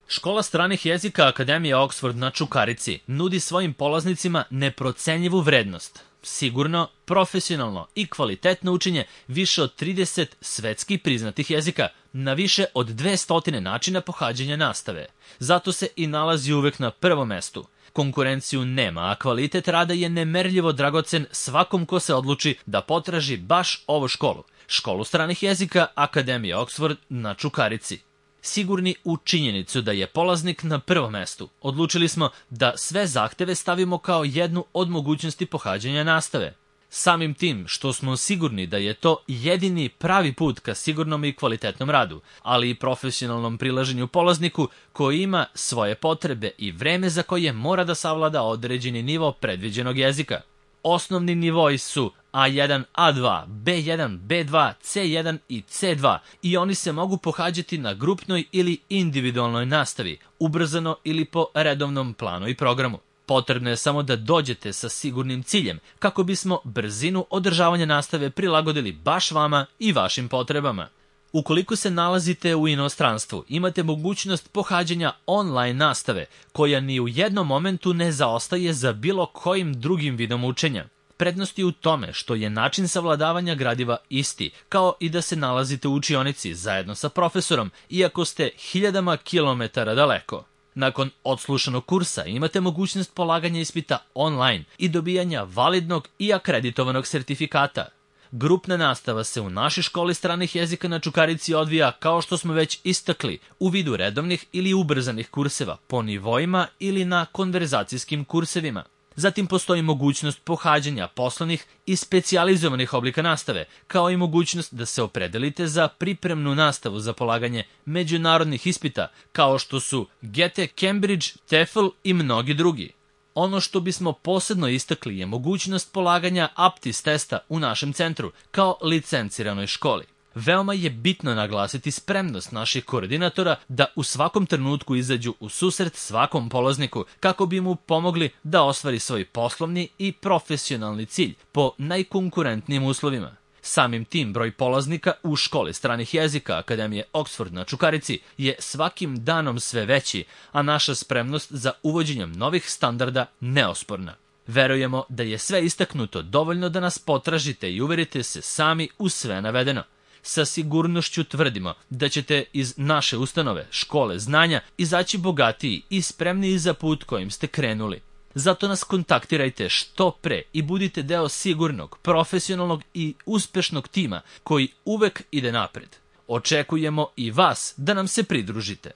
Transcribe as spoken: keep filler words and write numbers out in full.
Škola stranih jezika Akademije Oxford na Čukarici nudi svojim polaznicima neprocenjivu vrednost, sigurno, profesionalno i kvalitetno učenje više od trideset svetski priznatih jezika na više od dvesta načina pohađanja nastave. Zato se i nalazi uvek na prvom mestu. Konkurenciju nema, a kvalitet rada je nemerljivo dragocen svakom ko se odluči da potraži baš ovu školu. Školu stranih jezika Akademije Oxford na Čukarici. Sigurni u činjenicu da je polaznik na prvom mestu, odlučili smo da sve zahteve stavimo kao jednu od mogućnosti pohađanja nastave. Samim tim što smo sigurni da je to jedini pravi put ka sigurnom i kvalitetnom radu, ali i profesionalnom prilaženju polazniku koji ima svoje potrebe i vreme za koje mora da savlada određeni nivo predviđenog jezika. Osnovni nivoi su A jedan, A dva, B jedan, B dva, C jedan i C dva i oni se mogu pohađati na grupnoj ili individualnoj nastavi, ubrzano ili po redovnom planu i programu. Potrebno je samo da dođete sa sigurnim ciljem kako bismo brzinu održavanja nastave prilagodili baš vama i vašim potrebama. Ukoliko se nalazite u inostranstvu, imate mogućnost pohađanja online nastave, koja ni u jednom momentu ne zaostaje za bilo kojim drugim vidom učenja. Prednost je u tome što je način savladavanja gradiva isti, kao i da se nalazite u učionici zajedno sa profesorom, iako ste hiljadama kilometara daleko. Nakon odslušanog kursa imate mogućnost polaganja ispita online i dobijanja validnog i akreditovanog sertifikata. Grupna nastava se u našoj školi stranih jezika na Čukarici odvija, kao što smo već istakli, u vidu redovnih ili ubrzanih kurseva po nivoima ili na konverzacijskim kursevima. Zatim postoji mogućnost pohađanja poslovnih i specijalizovanih oblika nastave, kao i mogućnost da se opredelite za pripremnu nastavu za polaganje međunarodnih ispita, kao što su G E T E, Cambridge, TEFL i mnogi drugi. Ono što bismo posebno istakli je mogućnost polaganja APTIS testa u našem centru, kao licenciranoj školi. Veoma je bitno naglasiti spremnost naših koordinatora da u svakom trenutku izađu u susret svakom polazniku kako bi mu pomogli da ostvari svoj poslovni i profesionalni cilj po najkonkurentnijim uslovima. Samim tim broj polaznika u školi stranih jezika Akademije Oxford na Čukarici je svakim danom sve veći, a naša spremnost za uvođenjem novih standarda neosporna. Verujemo da je sve istaknuto dovoljno da nas potražite i uverite se sami u sve navedeno. Sa sigurnošću tvrdimo da ćete iz naše ustanove, škole znanja, izaći bogatiji i spremniji za put kojim ste krenuli. Zato nas kontaktirajte što pre i budite deo sigurnog, profesionalnog i uspešnog tima koji uvek ide napred. Očekujemo i vas da nam se pridružite.